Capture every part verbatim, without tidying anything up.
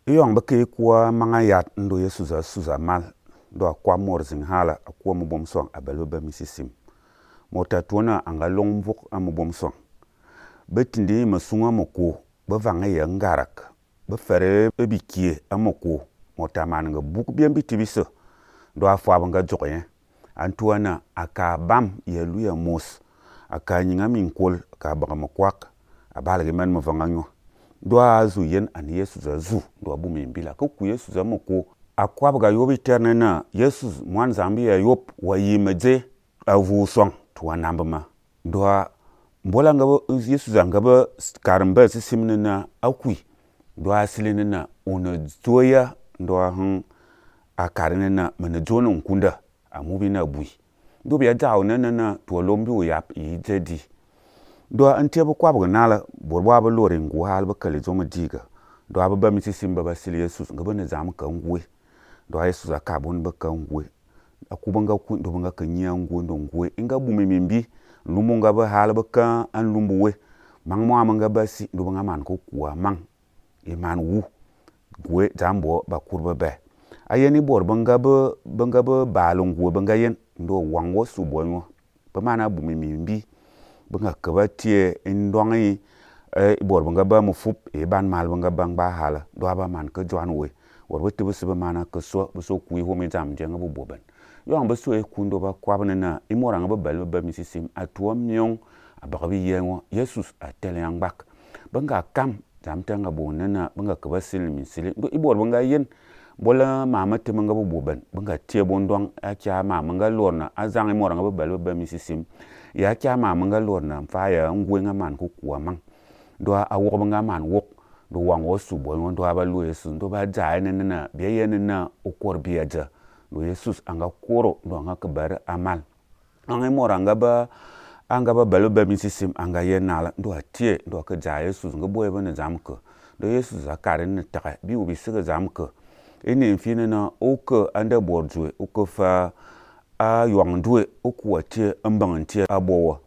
Iyong beke kuwa manga yat ndo Yesu za suza mal ndo akwa mor zing hala akwa mubom song abalo ba misisim mota tuona anga long vuk amubom song betindi masunga moko ba vanga ya ngarak ba fere ba bikie amoko mota mananga buk bien bitibisa ndo afwa banga jokyen antuana aka bam ya luya mos aka nyinga min kol ka baga makwak abalage man mavanga nyo ndo azu yen an Yesu za zu ndo abu mimbila ko ku Yesu za moko akwa baga yobi ternena Yesu mwan zambi ya yop wa yimeje avu song tuwa nambama ndo mbola ngaba Yesu za ngaba karamba sisimnena akwi ndo asilinena ona zoya ndo han akarinena mana jona nkunda amubi na bui ndo biya jaw nana to lombi wo yap yi jadi ndo ante bu kwa bu nala borwa ba lore ngu hal ba kale zo madiga ndo aba ba misisim ba basili Yesu ngaba na zam ka ngwe ndo Yesu za ka bon ba ka ngwe akubanga ku ndo banga ka nya ngwe ndo ngwe inga bu mimbi lumu ngaba hal ba ka an lumbuwe mang mo amanga basi ndo banga man ko kuwa mang e man wu gwe jambo ba kurba ba ayeni bor banga ba banga ba balon gwe banga yen ndo wango su bonwo ba mana bu mimbi banga kaba tie indongi e bor banga ba mu fup e ban mal banga bang ba hala do ba man ka jwan we wor wote bu siba mana ka so bu so kuyi ho mi jam jenga bu boban yo ang ba so e kundo ba kwabna na imoranga ba bal ba misisim atuwa myong abagabi yengo Jesus atele yang bak banga kam jam tanga bonana banga kaba silmi sili do ibor banga yen bola mama te manga bu boban banga tie bondong a kya mama nga lorna azang imoranga ba bal ba misisim ya kya mama nga lorna fa ya ngwe nga man ku kuwa mang do a wo nga man wok do wango su bo ndo aba lu Yesu ndo ba jaay ne na biya yen na okor biaja do Jesus anga koro ndo anga kabar amal anga moranga ba anga ba balo ba misisim anga yenala ndo atie ndo ka jaay Yesu nga boye bana zamka do Yesu zakare ne taka bi ubi siga zamka ene mfine na oka anda borjwe oka fa a yongdwe oku atie ambantie abowa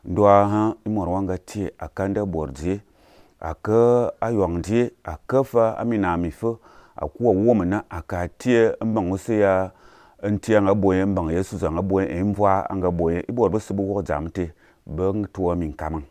ndo ha imorwanga tie akanda borje aka ayongdie akafa amina mifo akuwa womana akatie ambangose ya ntia nga boye mbang Yesu za nga boye emvwa anga boye ibor bosibu wo jamte bang tuwa min kamang